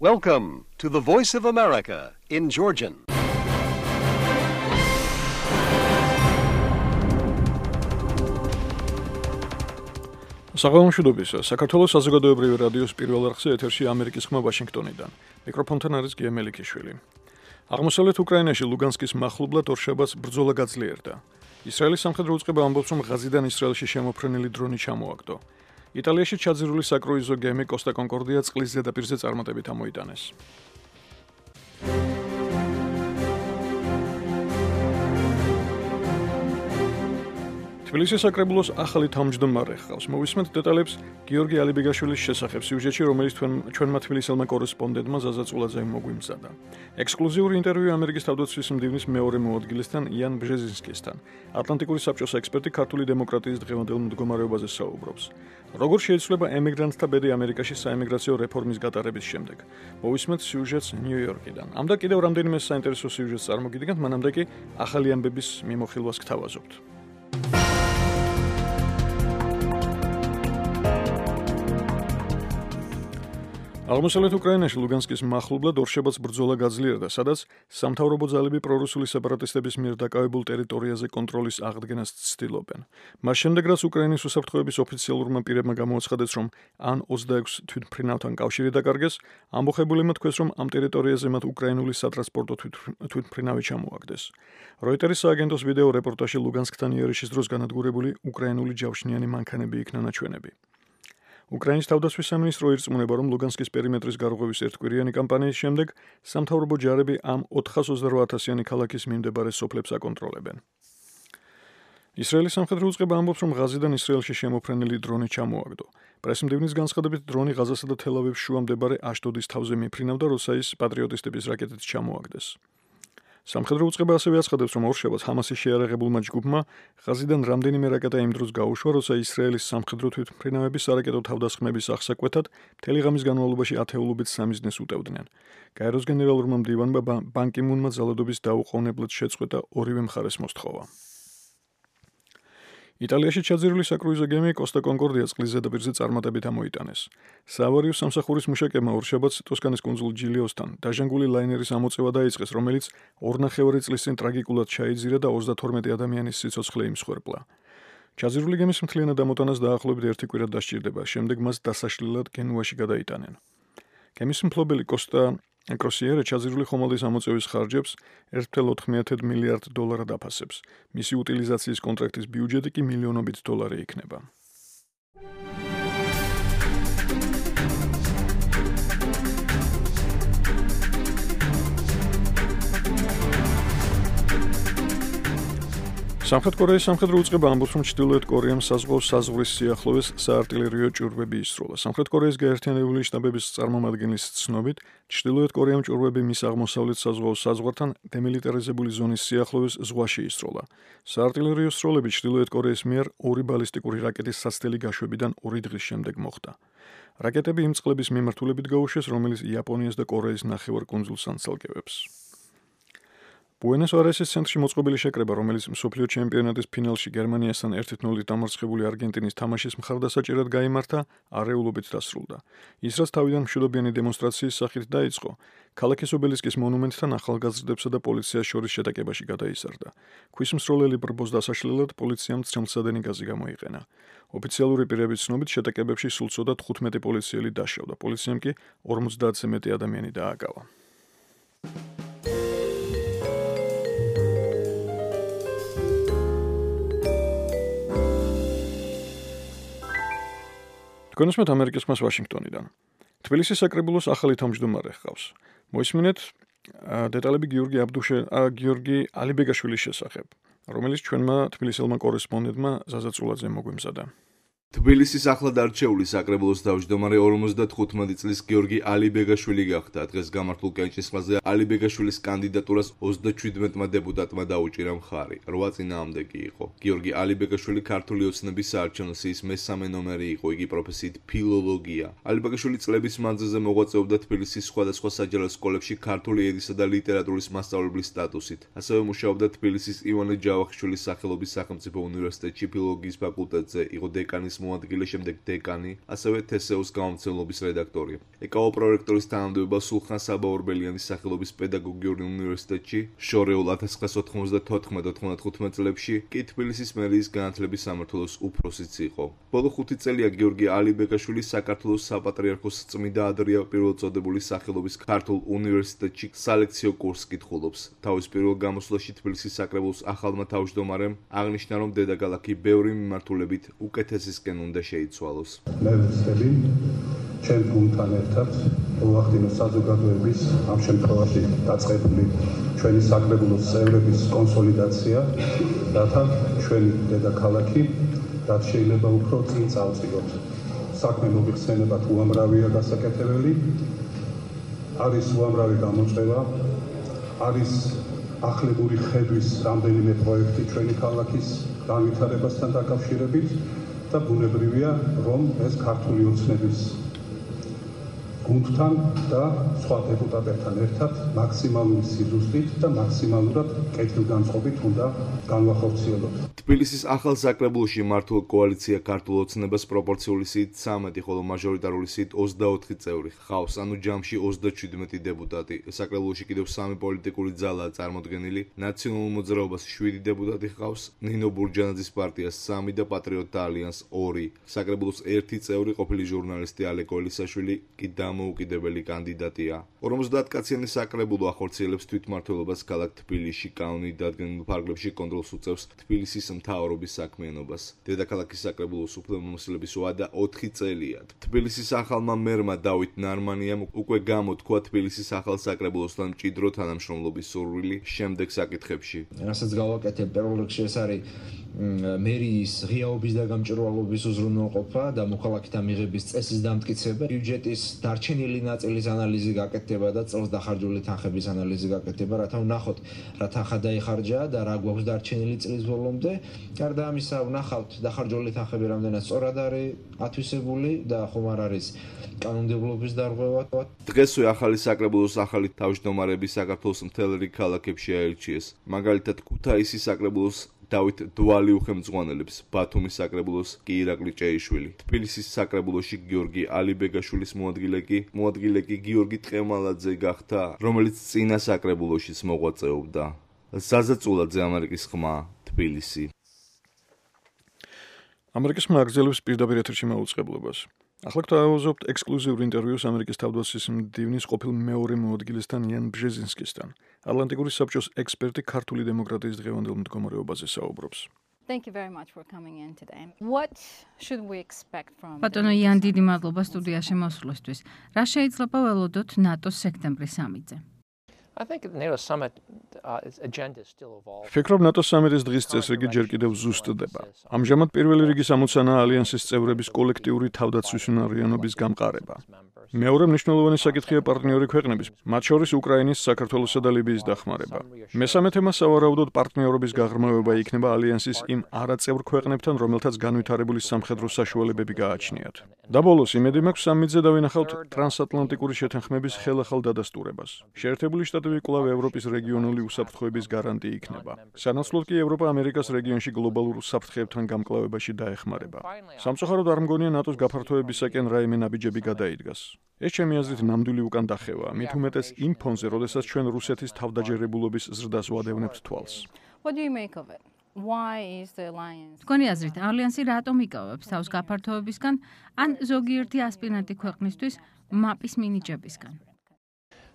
Welcome to the Voice of America in Georgian. საღამომშვიდობისა, საქართველოს საზოგადოებრივი რადიოს პირველ არხზე ეთერში ამერიკის ხმა ვაშინგტონიდან. მიკროფონთან არის გია მელიქიშვილი. აღმოსავლეთ უკრაინაში ლუგანსკის მახლობლად ორშაბათს ბრძოლა გაძლიერდა. ისრაელის სამხედრო უწყება ამბობს, რომ ღაზიდან ისრაელში შემოფრენილი დრონი ჩამოაგდო. იტალიაში ჩაძირული საკრუიზო გემი კოსტა კონკორდია წყლის ზედაპირზე წარმატებით ამოიტანეს. თბილისის საკრებულოს ახალი თავმჯდომარე ჰყავს. მოვისმენთ დეტალებს გიორგი ალიბეგაშვილის შესახებ სიუჟეტში, რომელიც ჩვენმა თბილისელმა კორესპონდენტმა ზაზა წულაძემ მოგვიმზადა. ექსკლუზიური ინტერვიუ ამერიკის თავდაცვის მდივნის მეორე მოადგილესთან იან ბჟეზინსკისთან. ატლანტიკური საბჭოს ექსპერტი ქართული დემოკრატიის დღევანდელ მდგომარეობაზე საუბრობს. როგორ შეიცვლება ემიგრანტთა ბედი ამერიკაში საემიგრაციო რეფორმის გატარების შემდეგ. მოვისმენთ სიუჟეტს ნიუ-იორკიდან. ამ და კიდევ რამდენიმე საინტერესო სიუჟეტს წარმოგიდგენთ, მანამდე კი ახალი ამბების მიმოხილვას გთავაზობთ. აღმოსავლეთ უკრაინაში ლუგანსკის მახლობლად ორშაბათს ბრძოლა გაძლიერდა, სადაც სამთავრობო ძალები პრორუსული სეპარატისტების მიერ დაკავებულ ტერიტორიაზე კონტროლის აღდგენას ცდილობენ. მას შემდეგ, რაც უკრაინის უსაფრთხოების ოფიციალურმა პირებმა გამოაცხადეს, რომ ან 26 თვითმფრინავთან კავშირი დაკარგეს, ამბოხებულებმა თქვეს, რომ ამ ტერიტორიაზე მათ უკრაინული სატრანსპორტო თვითმფრინავი ჩამოაგდეს. როიტერის სააგენტოს ვიდეო რეპორტაჟში ლუგანსკთან იერიშის დროს განადგურებული უკრაინული ჯავშნიანი მანქანები იქნა ნაჩვენები. უკრაინის თავდაცვის სამინისტრო ირწმუნება, რომ ლუგანსკის პერიმეტრის გარღვევის ერთკვირიანი კამპანიის შემდეგ სამთავრობო ჯარები ამ 428,000-იანი ქალაქის მიმდებარე სოფლებს აკონტროლებენ. ისრაელის სამხედრო უწყება ამბობს, რომ ღაზიდან ისრაელში შემოფრენილი დრონი ჩამოაგდო. პრესმდივნის განცხადებით, დრონი ღაზასა და თელ-ავივის შუა მდებარე აშდოდის თავზე მიფრინავდა, როცა ის პატრიოტისტების რაკეტით ჩამოაგდეს. სამხედრო უწყება ასევე აცხადებს, რომ ორშაბათს ჰამასის შეიარაღებულმა ჯგუფმა ღაზიდან რამდენიმე რაკეტა იმ დროს გაუშვა, როცა ისრაელის სამხედრო თვითმფრინავები სარაკეტო თავდასხმების აღსაკვეთად მთელი ღამის განმავლობაში ათეულობით სამიზნეს უტევდნენ. გაეროს გენერალურმა მდივანმა ბან კი მუნმა ძალადობის დაუყოვნებლად შეწყვეტა ორივე მხარეს მოსთხოვა. იტალიაში ჩაძირული საკრუიზო გემი კოსტა კონკორდია წყლის ზედაპირზე წარმატებით ამოიტანეს. საავარიო სამსახურის მუშაკებმა ორშაბათს ტოსკანის კუნძულ ჯილიოსთან დაჟანგული ლაინერის ამოწევა დაიწყეს, რომელიც 2,5 წლის წინ ტრაგიკულად ჩაიძირა და 32 ადამიანის სიცოცხლე იმსხვერპლა. ჩაძირული გემის მთლიანად ამოტანას დაახლოებით 1 კვირა დასჭირდება, შემდეგ მას დასაშლელად გენუაში გადაიტანენ. გემის მფლობელი კოსტა კროსიერე ჩაძირული ხომალდის ამოწევის ხარჯებს 1,4 მილიარდ დოლარად აფასებს. მისი უტილიზაციის კონტრაქტის ბიუჯეტი კი მილიონობით დოლარი იქნება. სამხრეთ კორეის სამხედრო უწყება ამბობს, რომ ჩრდილოეთ კორეამ საზღვაო საზღვრის სიახლოვეს საარტილერიო ჭურვები ისროლა. სამხრეთ კორეის გაერთიანებული შტაბების წარმომადგენლის ცნობით, ჩრდილოეთ კორეამ ჭურვები მის აღმოსავლეთ საზღვაო საზღვართან დემილიტარიზებული ზონის სიახლოვეს ზღვაში ისროლა. საარტილერიო სროლები ჩრდილოეთ კორეის მიერ 2 ბალისტიკური რაკეტის სასწრელი გაშვებიდან 2 დღის შემდეგ მოხდა. რაკეტები იმ წყლების მიმართულებით გაუშვეს, რომელიც იაპონიას და კორეის ნახევარკუნძულს ანცალკევებს. ბუენოს-აირესის ცენტრში მოწყობილი შეკრება, რომელიც მსოფლიო ჩემპიონატის ფინალში გერმანიასთან 1-0 დამარცხებული არგენტინის თამაშის მხარდასაჭერად გაიმართა, არეულობით დასრულდა. ის, რაც თავიდან მშვიდობიანი დემონსტრაციის სახით დაიწყო, ქალაქის ობელისკის მონუმენტთან ახალგაზრდებსა და პოლიციას შორის შეტაკებაში გადაიზარდა. ქვის მსროლელი ბრბოს დასაშლელად პოლიციამ ცხელმცადენი გაზი გამოიყენა. ოფიციალური პირების ცნობით შეტაკებებში სულ ცოტა 15 პოლიციელი დაშავდა. პოლიციამ კი 50-ზე მეტი ადამიანი დააკავა. გონსმეთ ამერიკის ხმას ვაშინგტონიდან. თბილისის საკრებულოს ახალი თავმჯდომარე ჰყავს. მოისმინეთ დეტალები გიორგი ალიბეგაშვილის შესახებ, რომელიც ჩვენმა თბილისელმა კორესპონდენტმა ზაზა წულაძემ მოგვიმზადა. თბილისის ახლად არჩეული საკრებულოს თავმჯდომარე 55 წლის გიორგი ალიბეგაშვილი გახდა. დღეს გამართულ კენჭისყრაზე ალიბეგაშვილის კანდიდატურას 37-მა დეპუტატმა დაუჭირა მხარი. 8 წინააღმდეგი იყო. გიორგი ალიბეგაშვილი ქართული ოცნების საარჩევნო სიის მესამე ნომერი იყო. იგი პროფესიით ფილოლოგია. ალიბეგაშვილი წლების მანძილზე მოღვაწეობდა თბილისის სხვადასხვა საჯარო სკოლებში ქართული ენისა და ლიტერატურის მასწავლებლის სტატუსით. ასევე მუშაობდა თბილისის ივანე ჯავახიშვილის სახელობის სახელმწიფო უნივერსიტეტში ფილოლოგიის ფაკულტეტზე. იყო დეკანის მოადგილე, შემდეგ დეკანი, ასევე თესეუს გამომცემლობის რედაქტორი. ეკაო პრორექტორის თანამდებობა სულხან საბა-ორბელიანის სახელობის პედაგოგიური უნივერსიტეტში შორეულ 1994-95 წლებში კი თბილისის მერიის განათლების სამმართველოს უფროსიც იყო. ბოლო 5 წელია გიორგი ალიბეგაშვილი საქართველოს საპატრიარქოს წმიდა ადრია პირველწოდებული სახელობის ქართულ უნივერსიტეტში სალექციო კურსს კითხულობს. თავის პირველ გამოსვლაში თბილისის საკრებულოს ახალმა თავმჯდომარემ აღნიშნა, რომ დედაქალაქი ბევრი მიმართულებით უკეთესისკენ უნდა შეიცვალოს. მე ვცდები ჩემ გუნდთან ერთად მოვახდინო საზოგადოების ამ შემთხვევაში დაწყებული ჩვენი საკრებულოს წევრების კონსოლიდაცია, რათა ჩვენი დედაქალაქი რაც შეიძლება უფრო წინ წავწიოთ. საქმე მოგიხსენებათ უამრავია გასაკეთებელი, არის უამრავი გამოწვევა, არის ახლებური ხედვის რამდენიმე პროექტი ჩვენი ქალაქის განვითარებასთან დაკავშირებით და ბუნებრივია, რომ ეს ქართული ოცნების გუნდთან და სხვა დეპუტატებთან ერთად მაქსიმალური სიზუსტით და მაქსიმალურად კეთილგანწყობით უნდა განვახორციელოთ. თბილისის ახალ საკრებულოში მართულ კოალიცია ქართულ ოცნებას პროპორციული სიით 13, ხოლო მაჟორიტარული სიით 24 წევრი ჰყავს, ანუ ჯამში 37 დეპუტატი. საკრებულოში კიდევ 3 პოლიტიკური ძალაა წარმოდგენილი. ნაციონალურ მოძრაობას 7 დეპუტატი ჰყავს, ნინო ბურჯანაძის პარტიას 3 და პატრიოტთა ალიანსს 2. საკრებულოს 1 წევრი ყოფილი ჟურნალისტი ალეკო ელისაშვილი კი დამოუკიდებელი კანდიდატია. 50 კაციანი საკრებულო ახორციელებს თვითმმართველობას ქალაქ თბილისში, კანონით დადგენილ ფარგლებში კონტროლს უწევს თბილისის მთავრობის საქმიანობას. დედაქალაქის საკრებულოს უფლებამოსილების ვადა 4 წელია. თბილისის ახალმა მერმა დავით ნარმანიამ უკვე გამოთქვა თბილისის ახალ საკრებულოსთან მჭიდრო თანამშრომლობის სურვილი შემდეგ საკითხებში. რასაც გავაკეთებ პირველ რიგში ეს არის მერიის ღიაობის და გამჭვირვალობის უზრუნველყოფა და მოქალაქეთა მიღების წესის დამტკიცება, ბიუჯეტის დარჩენილი ნაწილის ანალიზი გაკეთდება და წელს დახარჯული თანხების ანალიზი გაკეთდება, რათა ვნახოთ რა თანხა დაიხარჯა და რა გვაქვს დარჩენილი წლის ბოლომდე. გარდა ამისა, ვნახავთ დახარჯული თანხები რამდენად სწორად არის ათვისებული და ხომ არ არის კანონმდებლობის დარღვევა. დღესვე ახალი საკრებულოს ახალი თავმჯდომარები საქართველოს მთელ რიგ ქალაქებში აირჩიეს. მაგალითად, ქუთაისის საკრებულოს დავით დვალი უხელმძღვანელებს, ბათუმის საკრებულოს კი ირაკლი ჭეიშვილი. თბილისის საკრებულოში გიორგი ალიბეგაშვილის მოადგილე კი გიორგი ტყემალაძე გახდა, რომელიც წინა საკრებულოშიც მოღვაწეობდა. ზაზაწულაძე, ამერიკის ხმა, თბილისი. ამერიკის მაგზელებს პირდაპირ ეთერში მაუწყებლობას. ახლა გვთავაზობთ ექსკლუზიურ ინტერვიუს ამერიკის თავდაცვის მდივნის ყოფილ მეორე მოადგილესთან იან ბჟეზინსკისთან. ატლანტიკური საბჭოს ექსპერტი ქართული დემოკრატიის დღევანდელ მდგომარეობაზე საუბრობს. Thank you very much for coming in today. What should we expect from ბატონო იან, დიდი მადლობა სტუდიაში მოსვლისთვის. რა შეიძლება ველოდოთ ნატოს სექტემბრის სამიტზე? I think the NATO summit agenda is still evolving. ფიქრობ, ნატოს სამიტის დღის წესრიგი ჯერ კიდევ ზუსტდება. ამჟამად პირველი რიგის ამოცანაა ალიანსის წევრების კოლექტიური თავდაცვის უნარიანობის გამყარება. მეორე მნიშვნელოვანი საკითხია პარტნიორი ქვეყნების, მათ შორის უკრაინის, საქართველოსა და ლიბიის დახმარება. მესამე თემა სავარაუდოდ პარტნიორობის გაღრმავება იქნება ალიანსის იმ არაწევრ ქვეყნებთან, რომელთაც განვითარებული სამხედრო საშუალებები გააჩნიათ. და ბოლოს იმედი მაქვს სამიტზე დავინახავთ ტრანსატლანტიკური შეთანხმების ხელახალ დადასტურებას. შეერთებული შტატები კვლავ ევროპის რეგიონული უსაფრთხოების გარანტი იქნება. სანაცვლოდ კი ევროპა ამერიკას რეგიონში გლობალურ უსაფრთხოებთან გამკლავებაში დაეხმარება. სამწუხაროდ არ მგონია ნატოს გაფართოებისაკენ რაიმე ნაბიჯები გადაიდგას. ეს ჩემი აზრით ნამდვილი უკან დახევაა, მით უმეტეს იმ ფონზე, როდესაც ჩვენ რუსეთის თავდაჯერებულობის ზრდას ვადევნებთ თვალს. What do you make of it? Why is the alliance? თქვენი აზრით, ალიანსი რატომ იკავებს თავს გაფართოებისგან ან ზოგიერთი ასპირანტი ქვეყნისთვის მაპის მინიჭებისგან?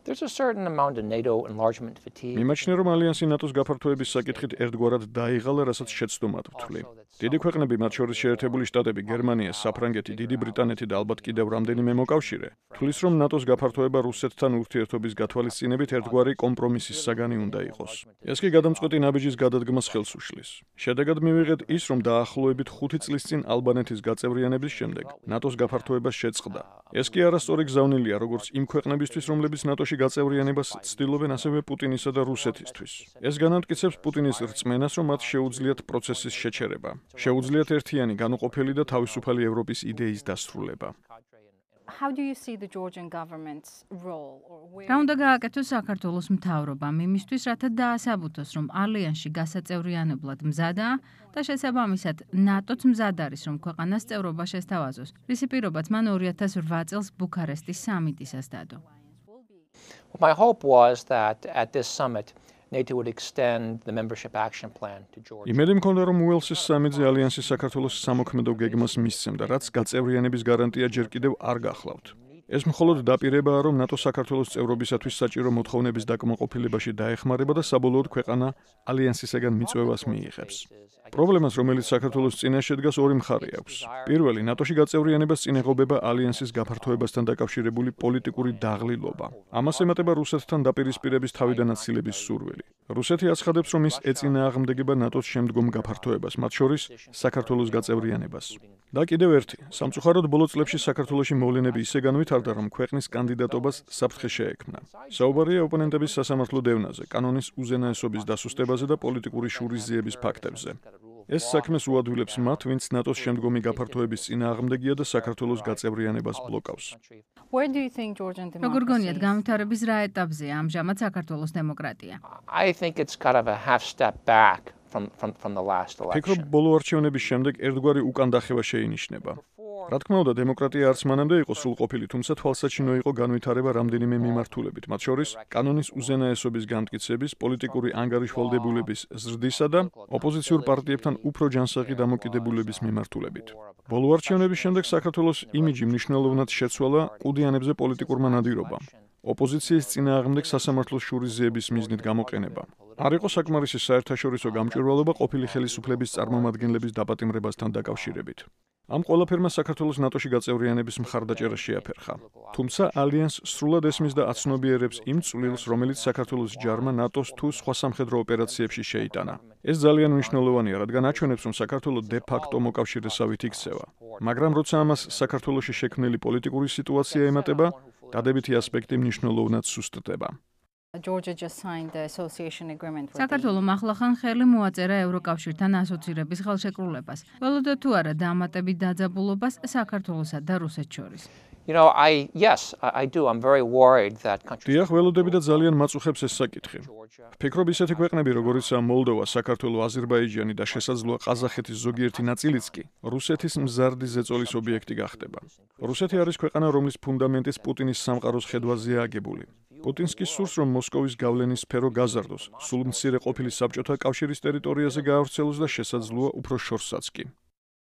There's a certain amount of NATO enlargement fatigue. მიმაჩნია, რომ ალიანსი ნატოს გაფართოების საკითხით ერთგვარად დაიღალა, რასაც შეცდომად ვთვლი. დიდი ქვეყნები, მათ შორის შეერთებული შტატები, გერმანია, საფრანგეთი, დიდი ბრიტანეთი და ალბათ კიდევ რამდენიმე მოკავშირე, თვლის, რომ ნატოს გაფართოება რუსეთთან ურთიერთობის გათვალისწინებით ერთგვარი კომპრომისის საგანი უნდა იყოს. ეს კი გადამწყვეტი ნაბიჯის გადადგმას ხელს უშლის. შედეგად მივიღეთ ის, რომ დაახლოებით 5 წლის წინ ალბანეთის გაწევრიანების შემდეგ ნატოს გაფართოებას შეწყდა. ეს კი არასწორი გზავნილია როგორც იმ ქვეყნებისთვის, რომლებიც ნატოში გაწევრიანებას ცდილობენ, ასევე პუტინისა და რუსეთისთვის. ეს განამტკიცებს პუტინის რწმენას, რომ მათ შეუძლიათ პროცესის შეჩერება. შეუძლიათ ერთიანი, განუყოფელი და თავისუფალი ევროპის იდეის დასრულება. how do you see the Georgian government's role or where რა უნდა გააკეთოს საქართველოს მთავრობამ იმისთვის, რათა დაასაბუთოს, რომ ალიანსში გასაწევრიანებლად მზადაა და შესაბამისად ნატოც მზად არის, რომ ქვეყანას წევრობა შესთავაზოს. რისი პირობაც მან 2008 წელს ბუქარესტის სამიტისას დადო. My hope was that at this summit, NATO would extend the membership action plan to Georgia. იმედი მქონდა, რომ უელსის სამიტზე ალიანსი საქართველოს სამოქმედო გეგმას მისცემდა, რაც გაწევრიანების გარანტია ჯერ კიდევ არ გახლავთ. ეს მხოლოდ დაპირებაა, რომ ნატო საქართველოს წევრობისათვის საჭირო მოთხოვნების დაკმაყოფილებაში დაეხმარება და საბოლოოდ ქვეყანა ალიანსისაგან მიწვევას მიიღებს. პრობლემას, რომელიც საქართველოს წინაშე დგას, ორი მხარე აქვს. პირველი, ნატოში გაწევრიანებას წინეღობება ალიანსის გაფართოებასთან დაკავშირებული პოლიტიკური დაღლილობა. ამას ემატება რუსეთთან დაპირისპირების თავიდანაცილების სურვილი. რუსეთი აცხადებს, რომ ის ეწინააღმდეგება ნატოს შემდგომ გაფართოებას, მათ შორის საქართველოს გაწევრიანებას. და კიდევ ერთი, სამწუხაროდ ბოლო წლებში საქართველოში მოვლენები ისე განვითარდა, რომ ქვეყნის კანდიდატობას საფრთხე შეექმნა. საუბარია ოპონენტების სასამართლო დევნაზე, კანონის უზენაესობის დასუსტებაზე და პოლიტიკური შურისძიების ფაქტებზე. ეს საქმეს უადვილებს მათ, ვინც ნატოს შემდგომი გაფართოების წინააღმდეგია და საქართველოს გაწევრიანებას ბლოკავს. where do you think Georgian როგორ გონიათ democracy განვითარების რა ეტაპზეა ამჟამად საქართველოს დემოკრატია? I think it's kind of a half step back from the last ფიქრობ, election. ბოლო არჩევნების შემდეგ ერთგვარი უკანდახევა შეინიშნება. რა თქმა უნდა, დემოკრატია არც მანამდე იყო სრულყოფილი, თუმცა თვალსაჩინო იყო განვითარება რამდენიმე მიმართულებით, მათ შორის კანონის უზენაესობის განმტკიცების, პოლიტიკური ანგარიშვალდებულების ზრდისა და ოპოზიციურ პარტიებთან უფრო ჯანსაღი დამოკიდებულების მიმართულებით. ბოლო არჩევნების შემდეგ საქართველოს იმიჯი მნიშვნელოვნად შეცვალა ყუდიანებზე პოლიტიკურმა ნადირობამ. ოპოზიციის წინააღმდეგ სასამართლოს შურისძიების მიზნით გამოყენება. არ იყო საკმარისი საერთაშორისო გამჭვირვალობა ყოფილი ხელისუფლების წარმომადგენლების დაპატიმრებასთან დაკავშირებით. ამ ყველაფერმა საქართველოს ნატოში გაწევრიანების მხარდაჭერა შეაფერხა. თუმცა ალიანს სრულად ესმის და აცნობიერებს იმ წვლილს, რომელიც საქართველოს ჯარმა ნატოს თუ სხვა სამხედრო ოპერაციებში შეიტანა. ეს ძალიან მნიშვნელოვანია, რადგან აჩვენებს, რომ საქართველოს de facto მოკავშირესავით იქცევა. მაგრამ როცა ამას საქართველოში შექმნილი პოლიტიკური სიტუაცია ემატება, დადებითი ასპექტი მნიშვნელოვნად სუსტდება. Georgia just signed the association agreement with საქართველომ ახლახან ხელი მოაწერა ევროკავშირთან ასოცირების ხელშეკრულებას. ველოდა თუ არა დამატებით დაძაბულობას საქართველოსა და რუსეთს შორის. You know, I do. I'm very worried that countries დიახ, ველოდები და ძალიან მაწუხებს ეს საკითხი. ვფიქრობ, ისეთი ქვეყნები, როგორიცაა მოლდოვა, საქართველო, აზერბაიჯანი და შესაძლოა ყაზახეთის ზოგიერთი ნაწილიც კი, რუსეთის მზარდი ზეწოლის ობიექტი გახდება. რუსეთი არის ქვეყანა, რომლის ფუნდამენტიც პუტინის სამყაროს ხედვაზეა აგებული. პუტინს კი სურს, რომ მოსკოვის გავლენის სფერო გაზარდოს, სულ მცირე ყოფილი საბჭოთა კავშირის ტერიტორიაზე გაავრცელოს და შესაძლოა უფრო შორსაც კი.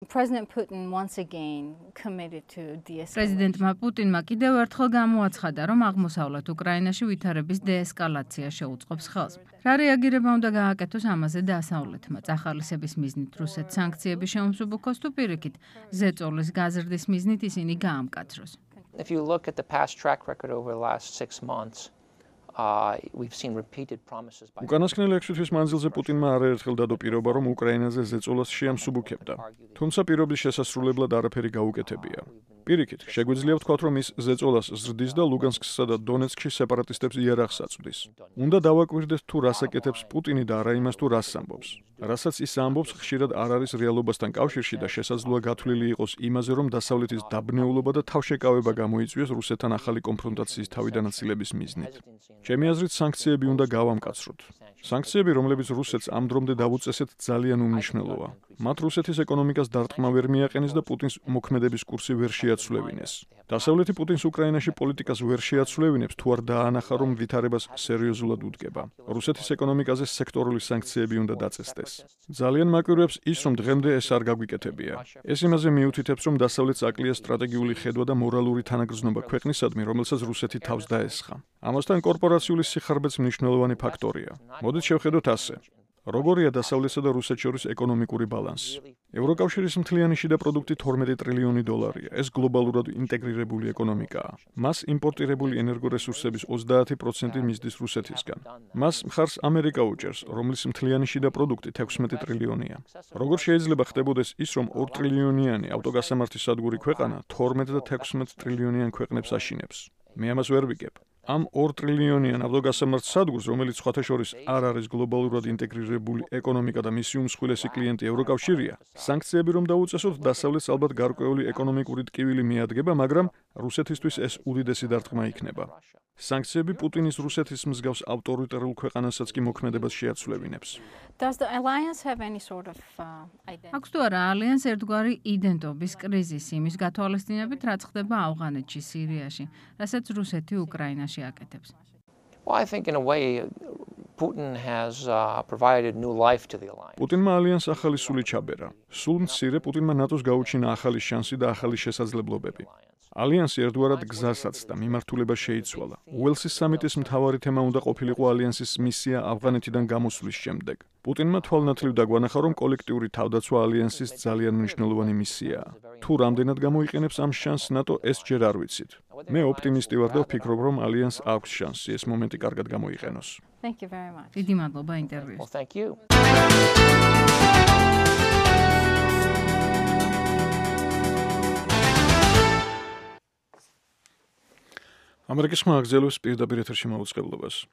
President Putin once again committed to de-escalation. პრეზიდენტმა პუტინმა კიდევ ერთხელ გამოაცხადა, რომ აღმოსავლეთ უკრაინაში ვითარების დეესკალაცია შეუწყობს ხელს. რა რეაგირება უნდა გააკეთოს ამაზე დასავლეთმა? წახალისების მიზნით რუსეთს სანქციები შეუმსუბუქოს თუ პირიქით ზეწოლის გაზრდის მიზნით ისინი გაამკაცროს? If you look at the past track record over the last 6 months, we've seen repeated promises by უკანასკნელი 6 თვის მანძილზე პუტინმა არაერთხელ დადო პირობა, რომ უკრაინაზე ზეწოლას შეამსუბუქებდა. თუმცა პირობის შესასრულებლად არაფერი გაუკეთებია. პირიქით, შეგვიძლია ვთქვათ, რომ ის ზეწოლას ზრდის და ლუგანსკსა და დონეცკში სეპარატისტებს იარაღს აწვდის. უნდა დავაკვირდეთ თუ რას აკეთებს პუტინი და არა იმას თუ რას ამბობს. რასაც ის ამბობს, ხშირად არ არის რეალობასთან კავშირში და შესაძლოა გათვლილი იყოს იმაზე, რომ დასავლეთის დაბნეულობა და თავშეკავება გამოიწვიოს რუსეთთან ახალი კონფრონტაციის თავიდანაცილების მიზნით. ჩემი აზრით, სანქციები უნდა გავამკაცროთ. სანქციები, რომლებიც რუსეთს ამ დრომდე დავუწესეთ, ძალიან უმნიშვნელოა. მათ რუსეთის ეკონომიკას დარტყმა ვერ მიაყენეს და პუტინს მოქმედების კურსი ვერ შეაცვლევინეს. დასავლეთი პუტინს უკრაინაში პოლიტიკას ვერ შეაცვლევინებს, თუ არ დაანახა, რომ ვითარებას სერიოზულად უდგება. რუსეთის ეკონომიკაზე სექტორული სანქციები უნდა დაწესდეს. ძალიან მაკვირვებს ის, რომ დღემდე ეს არ გაგვიკეთებია. ეს იმაზე მიუთითებს, რომ დასავლეთს აკლია სტრატეგიული ხედვა და მორალური თანაგრძნობა ქვეყნისადმი, რომელსაც რუსეთი თავს დაესხა. ამასთან კორპორაციული სიხარბეც მნიშვნელოვანი ფაქტორია. მოდით შევხედოთ ასე. როგორია დასავლეთსა და რუსეთს შორის ეკონომიკური ბალანსი? ევროკავშირის მთლიანი შიდა პროდუქტი 12 ტრილიონი დოლარია. ეს გლობალურად ინტეგრირებული ეკონომიკაა. მას იმპორტირებული ენერგორესურსების 30% მისდის რუსეთისგან. მას მხარს ამერიკა უჭერს, რომლის მთლიანი შიდა პროდუქტი 16 ტრილიონია. როგორ შეიძლება ხდებოდეს ის, რომ 2 ტრილიონიანი ავტოგასამართი სადგური ქვეყანა 12 და 16 ტრილიონიან ქვეყნებს აშინებს? მე ამას ვერ ვიგებ. Am 2 ტრილიონიან ავტოგასამართ სადგურს, რომელიც სხვათა შორის არ არის გლობალურად ინტეგრირებული ეკონომიკა და მისი უმსხვილესი klienti ევროკავშირია, სანქციები რომ დაუწესოთ, დასავლეთს ალბათ გარკვეული ეკონომიკური ტკივილი მიადგება, მაგრამ რუსეთისთვის ეს უდიდესი დარტყმა იქნება. Სანქციები პუტინის რუსეთის მსგავს ავტორიტარულ ქვეყანასაც კი მოქმედებას შეაცვლებინებს. Does the alliance have any sort of identity? აქვს თუ არა ალიანს ერთგვარი იდენტობის კრიზისი იმის გათვალისწინებით, რაც ხდება ავღანეთში, სირიაში, რასაც რუსეთი უკრაინაში აკეთებს. Well, I think in a way Putin has provided new life to the alliance. პუტინმა ალიანს ახალი სული ჩაბერა. სულ მცირე პუტინმა ნატოს გაუჩინა ახალი შანსი და ახალი შესაძლებლობები. ალიანსი ერთგვარად გზასაც და მიმართულებას შეიცვალა. უელსის სამიტის მთავარი თემა უნდა ყოფილიყო ალიანსის მისია ავღანეთიდან გამოსვლის შემდეგ. პუტინმა თვალნათლივ დაგვანახა, რომ კოლექტიური თავდაცვა ალიანსის ძალიან მნიშვნელოვანი მისიაა. თუ რამდენად გამოიყენებს ამ შანსს ნატო, ეს ჯერ არ ვიცით. მე ოპტიმისტი ვარ და ვფიქრობ, რომ ალიანს აქვს შანსი ეს მომენტი კარგად გამოიყენოს. Thank you very much. დიდი მადლობა ინტერვიუს. Well, thank you. ამერიკის ხმა აგრძელებს პირდაპირ ეთერში მაუწყებლობას.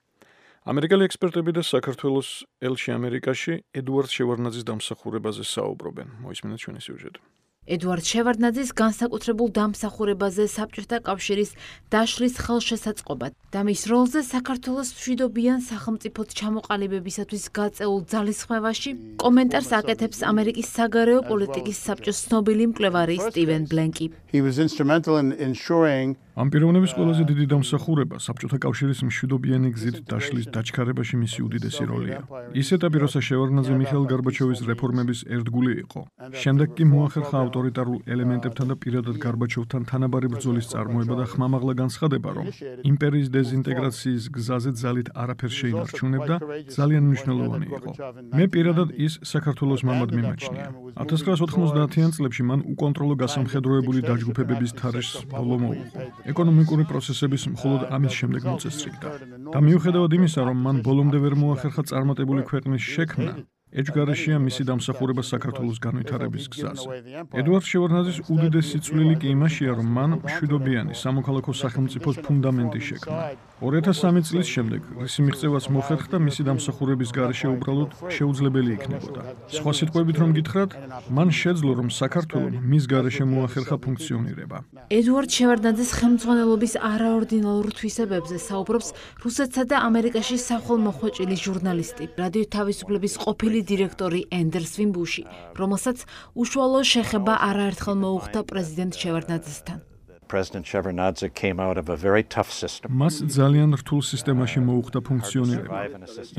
ამერიკელი ექსპერტები და საქართველოს ელჩი ამერიკაში ედუარდ შევარდნაძის დამსახურებაზე საუბრობენ. მოისმინეთ ჩვენი სიუჟეტი. ედუარდ შევარდნაძის განსაკუთრებულ დამსახურებაზე საბჭოთა კავშირის დაშლის ხელშესაწყობა და მის როლზე საქართველოს მშვიდობიან სახელმწიფოდ ჩამოყალიბებისათვის გაწეულ ძალისხმევაში კომენტარს აკეთებს ამერიკის საგარეო პოლიტიკის საბჭოს ცნობილი მკვლევარი სტივენ ბლენკი. ამ პიროვნების ყველაზე დიდი დამსახურება საბჭოთა კავშირის მშვიდობიანი გზით დაშლის დაჩქარებაში მისი უდიდესი როლია. ის ეტაპი, როცა შევარდნაძე მიხეილ გარბაჩოვის რეფორმების ერთგული იყო. შემდეგ კი მოახერხა ავტორიტარულ ელემენტებთან და პირადად გარბაჩოვთან თანაბარი ბრძოლის წარმოება და ხმამაღლა განცხადება, რომ იმპერიის დეზინტეგრაციის გზაზე ძალით არაფერს შეინარჩუნებდა, ძალიან მნიშვნელოვანი იყო. მე პირადად ის საქართველოს მამად მიმაჩნია. 1990-იან წლებში მან უკონტროლო გასამხედროებული დაჯგუფებების თარეშს ბოლო მოუყო. ეკონომიკური პროცესების მხოლოდ ამის შემდეგ მოწესრიგდა. და მიუხედავად იმისა, რომ მან ბოლომდე ვერ მოახერხა წარმატებული ქვეყნის შექმნა, ეჭვგარეშეა მისი დამსახურება საქართველოს განვითარების გზაზე. ედუარდ შევარდნაძის უდიდესი წვლილი კი იმაშია, რომ მან მშვიდობიანი სამოქალაქო სახელმწიფოს ფუნდამენტი შექმნა. 2003 წლის შემდეგ რისი მიღწევაც მოხერხდა, მისი დამსახურების გარეშე უბრალოდ შეუძლებელი იქნებოდა. სხვა სიტყვებით რომ გითხრათ, მან შეძლო, რომ საქართველოს მის გარეშე მოახერხა ფუნქციონირება. ედუარდ შევარდნაძის ხელმძღვანელობის არაორდინალურ თვისებებზე საუბრობს რუსეთსა და ამერიკაში სახვალმოხვეჭილი ჟურნალისტი, რადიო თავისუფლების ყოფილი დირექტორი ენდერს ვიმბუში, რომელსაც უშუალო შეხება არაერთხელ მოუხდა პრეზიდენტ შევარდნაძესთან. მას ძალიან რთულ სისტემაში მოუხდა ფუნქციონირება.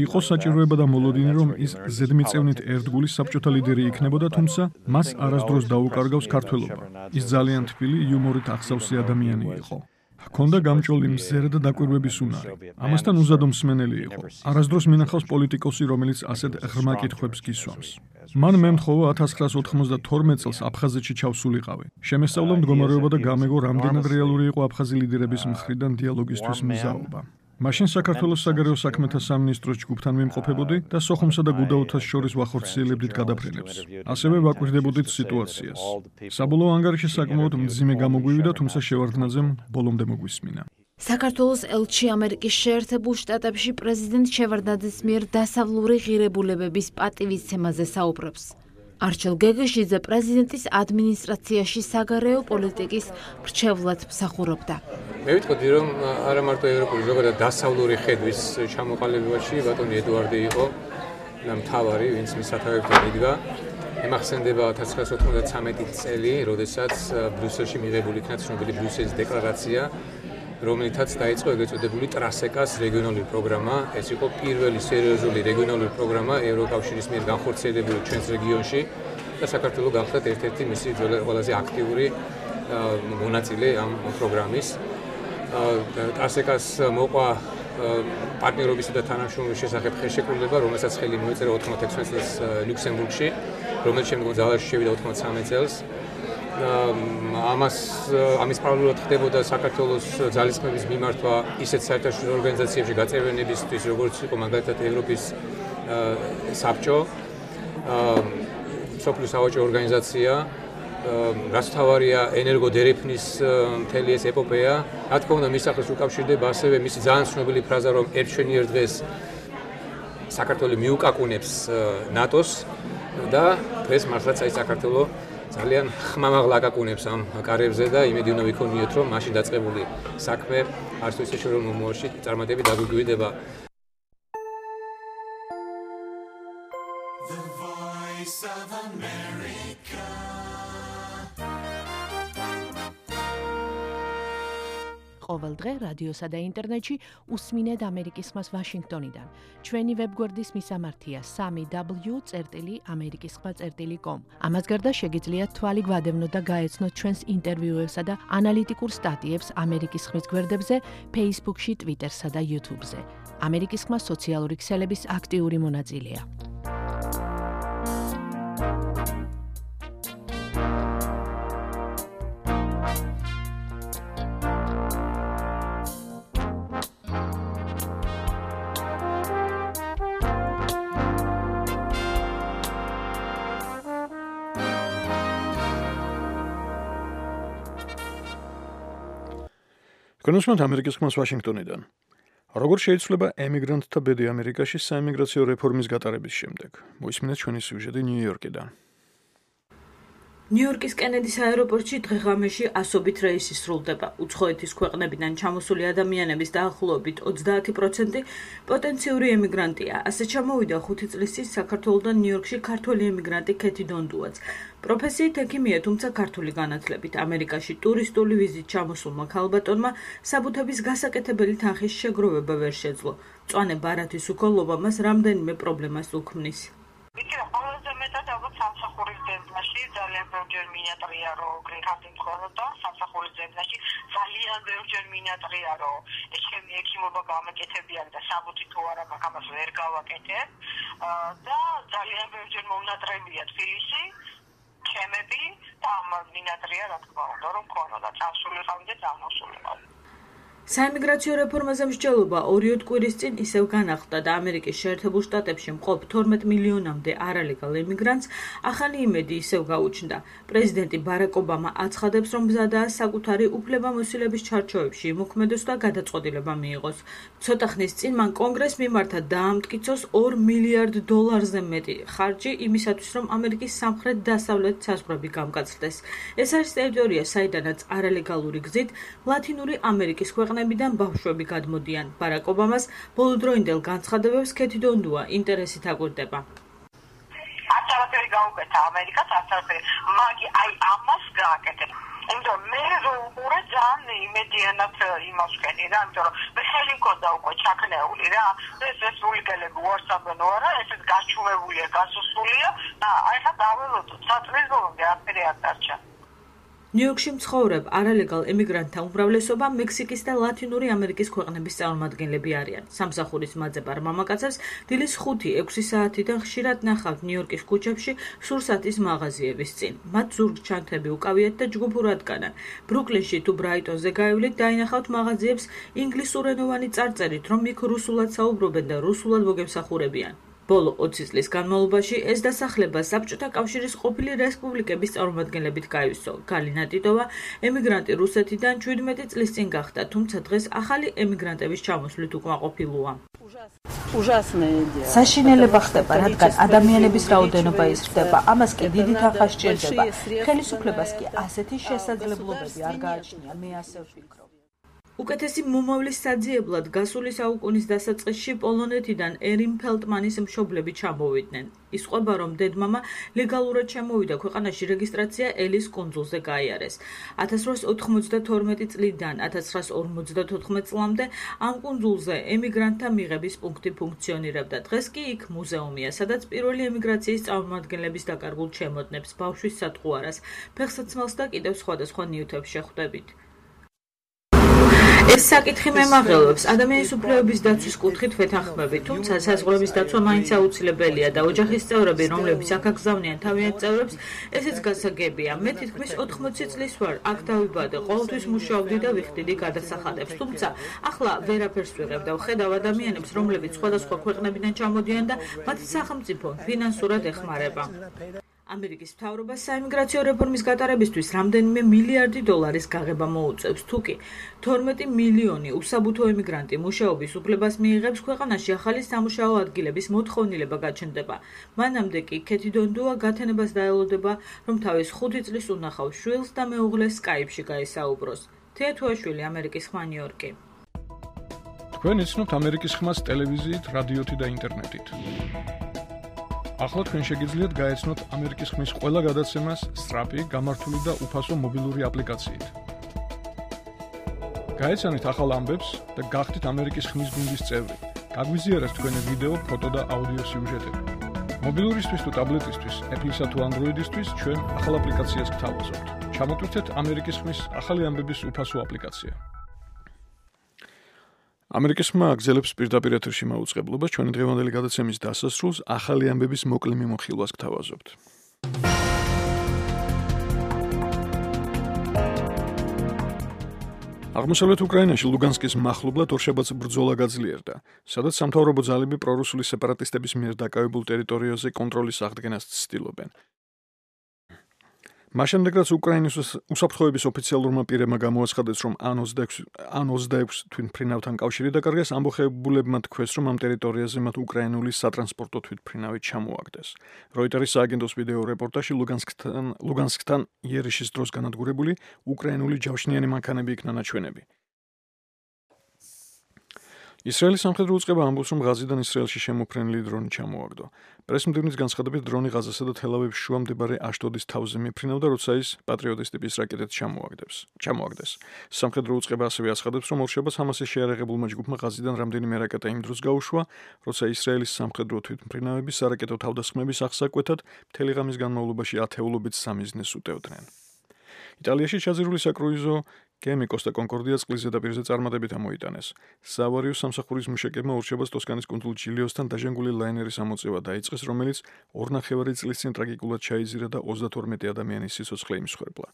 იყო საჭიროება და მოლოდინი, რომ ის ზედმიწევნით ერთგული საბჭოთა ლიდერი იქნებოდა, თუმცა მას არასდროს დაუკარგავს ქართველობა. ის ძალიან თბილი, იუმორით აღსავსე ადამიანი იყო. ჰქონდა გამჭოლი მზერა და დაკვირვების უნარი. ამასთან უზადო მსმენელი იყო. არასდროს მინახავს პოლიტიკოსი, რომელიც ასეთ ღრმა კითხვებს გისვამს. მან მე მთხოვა 1992 წელს აფხაზეთში ჩავსულიყავი. შემესწავლა მდგომარეობა და გამეგო, რამდენად რეალური იყო აფხაზი ლიდერების მხრიდან დიალოგისთვის მზაობა. მაშინ საქართველოს საგარეო საქმეთა სამინისტროს ჯგუფთან ვიმყოფებოდი და სოხუმსა და გუდაუთას შორის ვახორციელებდით გადაფრენებს. ასევე ვაკვირდებოდით სიტუაციას. საბოლოო ანგარიში საკმაოდ მძიმე გამოგვივიდა, თუმცა შევარდნაძემ ბოლომდე მოგვისმინა. საქართველოს ელჩი ამერიკის შეერთებულ შტატებში პრეზიდენტ შევარდნაძის მიერ დასავლური ღირებულებების პატივისცემაზე საუბრობს. არჩილ გეგეშიძე პრეზიდენტის ადმინისტრაციაში საგარეო პოლიტიკის მრჩევლად მსახურობდა. მე ვიტყოდი, რომ არა მარტო ევროპული, ზოგადად დასავლური ხედვის ჩამოყალიბებაში ბატონი ედუარდი იყო მთავარი, ვინც მის სათავეებთან იდგა. ემახსენდება 1993 წელი, როდესაც ბრიუსელში მიღებული იქნა ცნობილი ბრიუსელის დეკლარაცია, რომელთაც დაიწყო ეგრეთ წოდებული ტრასეკას რეგიონალური პროგრამა. ეს იყო პირველი სერიოზული რეგიონალური პროგრამა ევროკავშირის მიერ განხორციელებული ჩვენს რეგიონში და საქართველოს გახდა ერთ-ერთი მისი ყველაზე აქტიური მონაწილე ამ პროგრამის. ტრასეკას მოყვა პარტნიორობისა და თანამშრომლობის შესახებ ხელშეკრულება, რომელსაც ხელი მოეწერა 96 წელს ლუქსემბურგში, რომელიც შემდგომ ძალაში შევიდა 93 წელს. ამის პარალელურად ხდებოდა საქართველოს ძალისხმების მიმართვა ისეთ საერთაშორისო ორგანიზაციებში გაწევრიანებისთვის, როგორც იყო მაგალითად ევროპის საბჭო, სოფლის სავაჭრო ორგანიზაცია რაც თავარია ენერგოდერეფნის მთელი ეს ეპოპეა. რა თქმა უნდა, მის სახელს უკავშირდება ასევე მისი ძალიან ცნობილი ფრაზა, რომ ერთ-შენიერ დღეს საქართველო მიუკაკუნებს ნატოს და დღეს მართლაც აი საქართველო ძალიან ხმამაღლა აკაკუნებს ამ კარებზე და იმედი უნდა ვიქონიოთ, რომ მაშინ დაწყებული საქმე არც თუ ისე შორეულ მომავალში წარმატებით დაგვიგვიდება. ყოველ დღე რადიოსა და ინტერნეტში უსმინეთ ამერიკის ხმას ვაშინგტონიდან. ჩვენი ვებგვერდის მისამართია 3w.amerikiskhma.com. ამას გარდა შეგიძლიათ თვალი გვადევნოთ და გაეცნოთ ჩვენს ინტერვიუებსა და ანალიტიკურ სტატიებს ამერიკის ხმის გვერდებზე, Facebook-ში, Twitter-სა და YouTube-ზე. ამერიკის ხმა სოციალური ქსელების აქტიური მონაწილეა. კონსულტანტ ამერიკის ხმას ვაშინგტონიდან. როგორ შეიცვლება ემიგრანტთა ბედი ამერიკაში საიმიგრაციო რეფორმის გატარების შემდეგ? მოისმინეთ ჩვენი სიუჟეტი ნიუ-იორკიდან. ნიუ-იორკის კენედის აეროპორტში დღე-ღამეში ასობით რეისი სრულდება. უცხოეთის ქვეყნებიდან ჩამოსული ადამიანების დაახლოებით 30% პოტენციური ემიგრანტია. ასე ჩამოვიდა 5 წლის წინ საქართველოდან ნიუ-იორკში ქართველი ემიგრანტი ქეთი დონდუაც. პროფესიით ექიმია, თუმცა ქართული განათლებით. ამერიკაში ტურისტული ვიზით ჩამოსულმა ქალბატონმა საბუთების გასაკეთებელი თანხის შეგროვება ვერ შეძლო. მწვანე ბარათის უქოლობა მას რამდენიმე პრობლემას უქმნის. ყველაზე მეტად ალბათ სამსახურის ძებნაში ძალიან ბევრჯერ მინატრია, რომ გრინ-კარტი მქონოდა და სამსახურის ძებნაში ძალიან ბევრჯერ მინატრია, რომ ეს ჩემი ექიმობა გამეკეთებიან და საბუთი თუ არა მაქვს, ამას ვერ გავაკეთებ და ძალიან ბევრჯერ მომნატრებია თბილისი, ჩემები და ამ მინატრია, რა თქმა უნდა, რომ მქონოდა წავსულიყავი და წამოსულიყავი. საიმიგრაციო რეფორმაზე მსჯელობა 2 კვირის წინ ისევ განახლდა და ამერიკის შეერთებულ შტატებში მყოფ 12 მილიონამდე არალეგალ ემიგრანტს ახალი იმედი ისევ გაუჩნდა. პრეზიდენტი ბარაკ ობამა აცხადებს, რომ მზადაა საკუთარი უფლებამოსილების ჩარჩოებში იმოქმედოს და გადაწყვეტილება მიიღოს. ცოტა ხნის წინ მან კონგრესს მიმართა დაამტკიცოს $2 მილიარდ მეტი ხარჯი იმისათვის, რომ ამერიკის სამხრეთ-დასავლეთ საზღვრები გამკაცრდეს. ეს არის ტერიტორია, საიდანაც არალეგალური გზით ლათინური ამერიკის ქვეყნებიდან ბავშვები გადმოდიან. ბარაკ ობამას ბოლოდროინდელ განცხადებებს ქეთი დონდუა ინტერესით აკვირდება. არც არაფერი გაუკეთა ამერიკას, არც არაფერი, მაგრამ აი ამას გააკეთებ. იმიტომ მე რომ უყურე ძალიან იმედიანად იმას ვქენი რა, იმიტომ რომ მე ხელი მქონდა უკვე ჩაქნეული რა. ეს რესპუბლიკელები უარსაბენ არა, ესეც გაჩუმებულია, გასუსულია და აი ხა დაველოდოთ, საწლის ბოლომდე არაფერი არ დარჩა. ნიუ-იორკში მცხოვრებ არალეგალ ემიგრანტთა უმრავლესობა მექსიკის და ლათინური ამერიკის ქვეყნების წარმომადგენლები არიან. სამსახურის მაძებარ მამაკაცებს დილის 5-6 საათიდან ხშირად ნახავთ ნიუ-იორკის ქუჩებში სურსათის მაღაზიების წინ. მათ ზურგჩანთები უკავიათ და ჯგუფურად განან. ბრუკლინში თუ ბრაიტონზე გაივლით დაინახავთ მაღაზიებს ინგლისურენოვანი წარწერით, რომ იქ რუსულად საუბრობენ და რუსულად მოგემსახურებიან. ბოლო 20 წლის განმავლობაში ეს დასახლება საბჭოთა კავშირის ყოფილი რესპუბლიკების წარმომადგენლებით გაივსო. გალინა ტიტოვა ემიგრანტი რუსეთიდან 17 წლის წინ გახდა, თუმცა დღეს ახალი ემიგრანტების ჩამოსვლით უკმაყოფილოა. საშინელება ხდება, რადგან ადამიანების რაოდენობა იზრდება, ამას კი დიდი თანხა სჭირდება. ხელისუფლებას კი ასეთი შესაძლებლობები არ გააჩნია, მე ასე ვფიქრობ. უკეთესი მომავლის საძიებლად გასული საუკუნის დასაწყისში პოლონეთიდან ერიმ ფელტმანის მშობლები ჩამოვიდნენ. ისყვება, რომ დედმამა ლეგალურად ჩამოვიდა ქვეყანაში რეგისტრაცია ელის კუნძულზე გაიარეს. 1892 წლიდან 1954 წლამდე ამ კუნძულზე ემიგრანტთა მიღების პუნქტი ფუნქციონირებდა. დღეს კი იქ მუზეუმია, სადაც პირველი ემიგრაციის წარმომადგენლების დაკარგულ ჩემოდნებს, ბავშვის სატყუარას, ფეხსაცმელს და კიდევ სხვადასხვა ნივთებს შეხვდებით. ეს საკითხი მემაღელვებს ადამიანის უფლებების დაცვის კუთხით ვეთანხმებით, თუმცა საზღვრების დაცვა მაინც აუცილებელია და ოჯახის წევრები, რომლებიც აქ აგზავნიან თავიანთ წევრებს, ესეც გასაგებია. მე თითქმის 80 წლის ვარ, აქ დავიბადე, ყოველთვის მუშაობდი და ვიხდიდი გადასახადებს, თუმცა ახლა ვერაფერს ვიღებ და ვხედავ ადამიანებს, რომლებიც სხვადასხვა ქვეყნებიდან ჩამოდიან და მათ სახელმწიფო ფინანსურად ეხმარება. ამერიკის მთავრობას საიმიგრაციო რეფორმის გატარებისთვის რამდენიმე მილიარდი დოლარის გაღება მოუწევს, თუკი 12 მილიონი უსაბუთო ემიგრანტი მუშაობის უფლებას მიიღებს, ქვეყანაში ახალი სამუშაო ადგილების მოთხოვნილება გაჩნდება. მანამდე კი ქეთი დონდუა გათენებას დაელოდება, რომ თავის 5 წლის უნახავს შვილს და მეუღლეს Skype-ში გაესაუბროს. თეა თუაშვილი, ამერიკის ხმა, ნიუ-იორკი. თქვენ იცნობთ ამერიკის ხმას ტელევიზიით, რადიოთი და ინტერნეტით. ახლა თქვენ შეგიძლიათ გაეცნოთ ამერიკის ხმის ყველა გადაცემას სწრაფი, გამართული და უფასო მობილური აპლიკაციით. გაეცანით ახალ ამბებს და გახდით ამერიკის ხმის გუნდის წევრი. გაგვიზიარეთ თქვენი ვიდეო, ფოტო და აუდიო სიუჟეტები. მობილურისთვის თუ ტაბლეტისთვის, Apple-ისა თუ Android-ისთვის ჩვენ ახალ აპლიკაციას გთავაზობთ. ჩამოტვირთეთ ამერიკის ხმის ახალი ამბების უფასო აპლიკაცია. ამერიკის ხმა აგზელებს პირდაპირ ეთერში მაუწყებლობას, ჩვენი დღევანდელი გადაცემის დასასრულს ახალი ამბების მოკლე მიმოხილვას გთავაზობთ. აღმოსავლეთ უკრაინაში ლუგანსკის მახლობლად ორშაბათს ბრძოლა გაძლიერდა, სადაც სამთავრობო ძალები პრორუსული სეპარატისტების მიერ დაკავებულ ტერიტორიაზე კონტროლის აღდგენას ცდილობენ. მაშინდ რაც უკრაინის უსაფრთხოების ოფიციალურმა პირებმა გამოაცხადეს, რომ ან-26 თვითმფრინავთან კავშირი დაკარგეს, ამბოხებულებმა თქვეს, რომ ამ ტერიტორიაზე მათ უკრაინული სატრანსპორტო თვითმფრინავი ჩამოაგდეს. როიტერის სააგენტოს ვიდეო რეპორტაჟში ლუგანსკთან იერიშის დროს განადგურებული უკრაინული ჯავშნიანი მანქანები იქნა ნაჩვენები. ისრაელის სამხედრო უწყება ამბობს, რომ ღაზიდან ისრაელში შემოფრენილი დრონი ჩამოაგდო. პრესმდივნის განცხადებით დრონი ღაზასა და თელ-ავივის შუა მდებარე აშდოდის თავზე მიფრინავდა, როცა ის პატრიოტის ტიპის რაკეტით ჩამოაგდეს. სამხედრო უწყება ასევე აცხადებს, რომ ორშაბათს ჰამასის შეიარაღებულმა ჯგუფმა ღაზიდან რამდენიმე რაკეტა იმ დროს გაუშვა, როცა ისრაელის სამხედრო თვითმფრინავები სარაკეტო თავდასხმების აღსაკვეთად მთელი ღამის განმავლობაში ათეულობით სამიზნეს უტევდნენ. იტალიაში ჩაძირული საკრუიზო გემი კოსტა კონკორდია წყლის ზედაპირზე წარმატებით ამოიტანეს. საავარიო სამსახურის მუშაკებმა ორშაბათს ტოსკანის კუნძულ ჯილიოსთან დაჟანგული ლაინერის ამოწევა დაიწყეს, რომელიც 2,5 წლის წინ ტრაგიკულად ჩაიზირა და 32 ადამიანის სიცოცხლე იმსხვერპლა.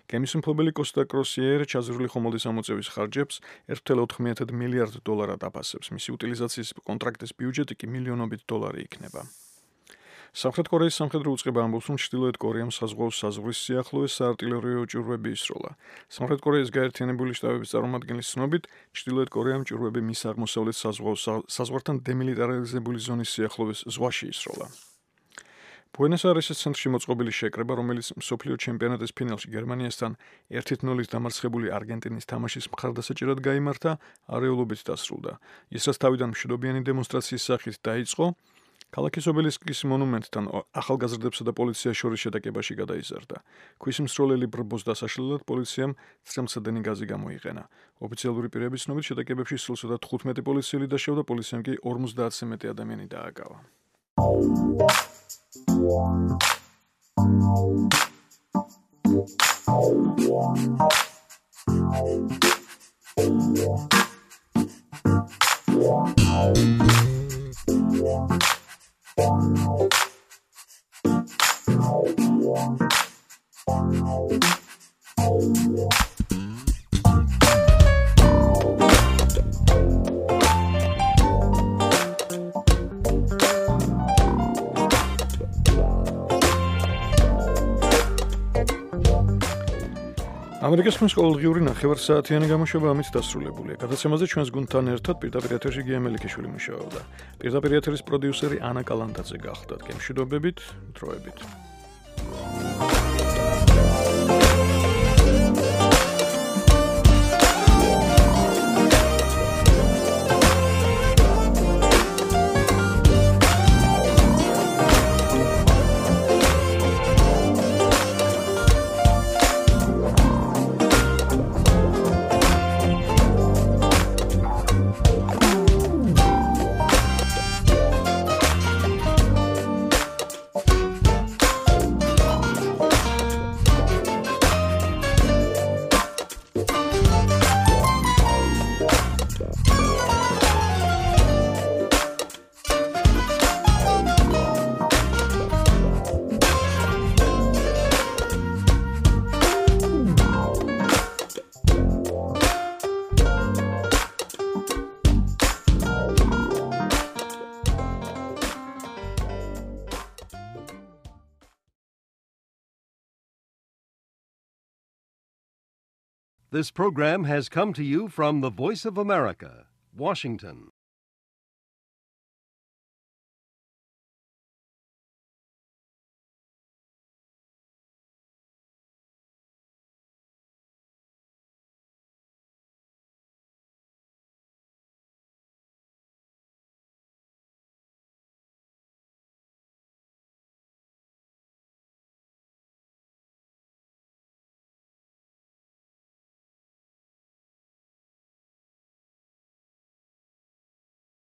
გემის მფლობელი კოსტა კროსიერ ჩაძირული ხომალდის ამოწევის ხარჯებს 1,9 მილიარდ დოლარად აფასებს. მისი utilizatsiys კონტრაქტის ბიუჯეტი კი მილიონობით დოლარი იქნება. სამხრეთ კორეის სამხედრო უწყება ამბობს, რომ ჩრდილოეთ კორეამ საზღვაო საზღვრის სიახლოვეს საარტილერიო ჭურვები ისროლა. სამხრეთ კორეის გაერთიანებული შტატების წარმომადგენლის ცნობით, ჩრდილოეთ კორეამ ჭურვები მის აღმოსავლეთ საზღვართან დემილიტარიზებული ზონის სიახლოვეს ზღვაში ისროლა. ბუენოს-აირესის ცენტრში მოწყობილი შეკრება, რომელიც მსოფლიო ჩემპიონატის ფინალში გერმანიასთან 1-0 დამარცხებული არგენტინის თამაშის მხარდასაჭერად გაიმართა, არეულობით დასრულდა. ის რაც თავიდან მშვიდობიანი დემონსტრაციის სახით დაიწყო, ქალაქის ობელისკის მონუმენტთან ახალგაზრდებსა და პოლიციას შორის შეტაკებაში გადაიზარდა. ქვის მსროლელი ბრბოს დასაშლელად პოლიციამ წრემლსადენი გაზი გამოიყენა. ოფიციალური პირების ცნობით შეტაკებებში სულ 15 პოლიციელი დაშავდა, პოლიციამ კი 50-ზე მეტი ადამიანი დააკავა. ამერიკის ხმის ყოველდღიური ნახევარსაათიანი გამოშვება ამით დასრულებულია. გადაცემაზე ჩვენს გუნდთან ერთად პირდაპირ ეთერში გია მელიქიშვილი მუშაობდა. პირდაპირ ეთერის პროდიუსერი ანა კალანდაძე გახლდათ. გემშვიდობებით, დროებით. This program has come to you from the Voice of America, Washington.